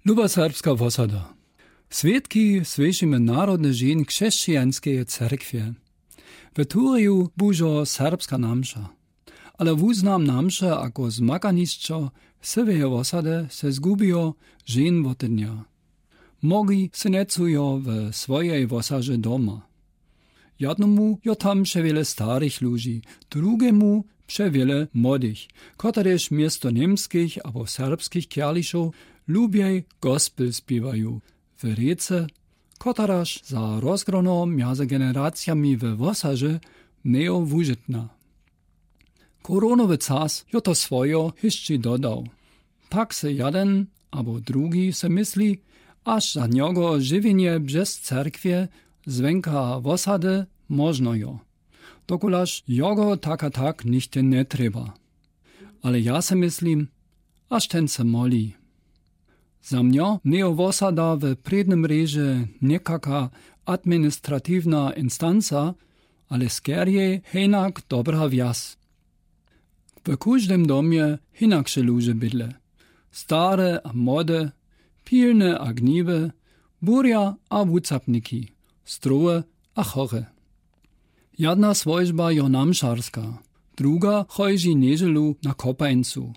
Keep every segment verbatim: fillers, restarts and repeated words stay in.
Luba serbska wosada. Swědki słyšimy narodny dźeń křesćijańskeje cerkwje. We tureju bužo serbska namša. Ale wuznam namše ako zmakanišćo syłeje wosady se zgubijo dźeń wotednja. Mnogi se njecujo we swojej wosaže doma. Jadnomu jo tam přewiele starych ludźi, drugemu přewiele młodych, kotrež město němskich abo serbskich kjališow lubjej gospel spěwaju w rěce, kotraž za rozgrono mjazy generacijami we wosaže njejo wužitna. Koronowy cas jo to swojo hišći dodał. Tak se jaden abo drugi se mysli, aż za njogo žiwjenje břez cerkwje zwěnka wosady móžno jo, dokulaž jogo tak a tak nichte njetrjeba. Ale ja se myslim, aż ten se moli. Za mnjo njejo wosada we prědnym rědźe někaka administratiwna instanca, ale skerjej henak dobra wjaz. We kóżdym domje hinakše ludźe bydle. Stare a młode, pilne a gniwe, burja a wucapniki, zdrowe a chore. Jedna swójba jo namšarska, druga chódźi njedźelu na kopańcu.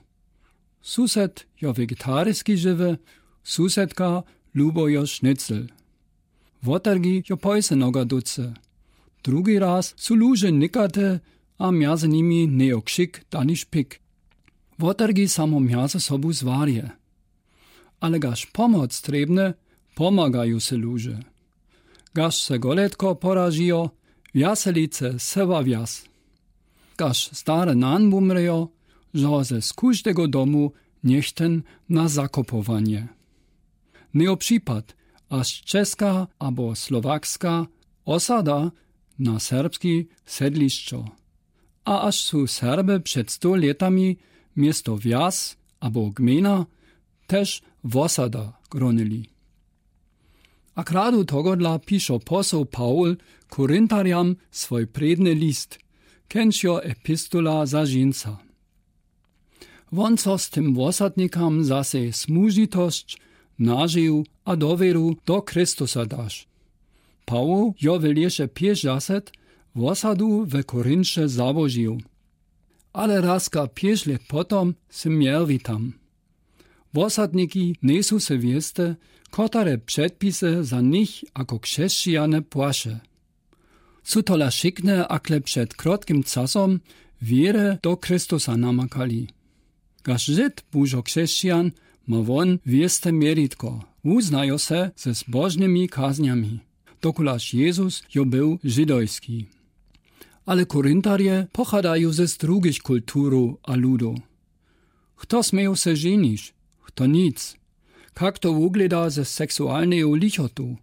Sused jo wegetarijski žiwy, susedka lubo jo šnicl. Wotergi jo pojse noga ducy. Drugi raz su ludźe nikate a mjazy nimi njejo křik daniž pik. Wotergi samo mjazy sobu zwarje. Ale gaž pomoc trjebne, pomagaju se ludźe. Gaž se goletko poražijo, wjaselice sewa wjaz. Gaž stare nan wumrjo, žo ze z kóżdego domu njech ten na zakopowanje. Njejo připad, aż česka abo slowakska osada na serbski sedlišćo. A aż su Serby před sto lětami město wjaz abo gmejna tež wosada gronili. A kradu tohodla pišo poseł Paul Korintarjam swój prědny list, kenž jo epistola za dźensa. Wón so z tym wosadnikam za sej smužitosć, nažiju a dowěru do Chrystusa daš. Paul jo w lěše pěćdźaset wosadu we Korinće załožił. Ale razka pěć lět potom sym měł witam. Wosadniki njejsu se wěste, kotare předpisy za nich jako křesćijane płaše. Su tola wšikne, akle před krotkim casom wěry do Chrystusa namakali. Gaž Žid bužo křesćijan, ma wón wěste měritko, wuznajo se ze zbožnymi kaznjami, dokulaž Jezus jo był židojski. Ale Korintarje pochadaju ze drugich kulturow a ludow. Chto směju se ženić, chto nic. Kak to wuglěda ze seksualneju lichotu?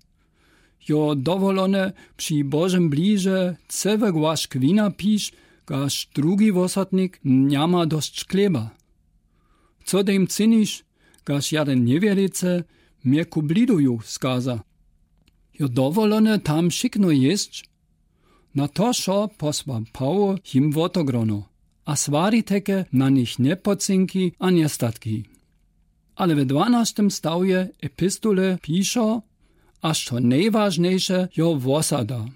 Jo dowolone při Božym bliže całe głask wina pić, gaž drugi wosadnik nja ma dosć chleba? Co tym czynić, gaž jaden njewěricy mje ku blidoju skaza? Jo dowolone tam wšikno jěsć? Na to wšo posła Paul jim wotogrono, a swari teke na nich njepocynki a njestatki. Ale we dwanaštym stawje epistole pišo, aż to nejwažnjejše jo wosada,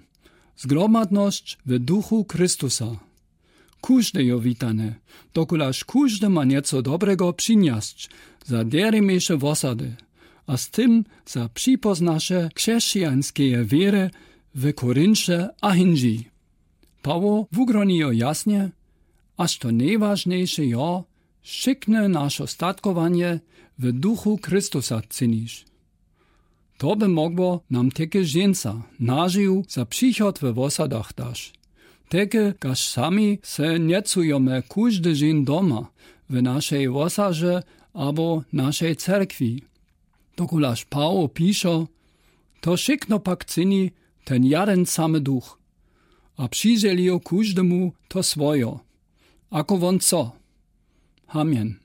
zgromadnosć w duchu Chrystusa. Kóżde jo witane, dokulaž kóżdy ma njeco dobrego přinjesć za derjemejše wosady, a z tym za připoznaše křesćijańskeje wěry w Korinće a hindźi. Paul wugroni jo jasnje, aż to nejwažnjejše jo, wšikne našo statkowanje w duchu Chrystusa czynić. To by mógło nam teke dźensa nažiju za přichod we wosadach daš. Teke, gaž sami se njecujome kóždy dźeń doma, w našej wosaže abo našej cerkwi. Dokulaž Paul pišo, to wšikno pak czyni ten jaden samy Duch. A přidźělijo kóždemu to swojo, ako wón chce. Amen.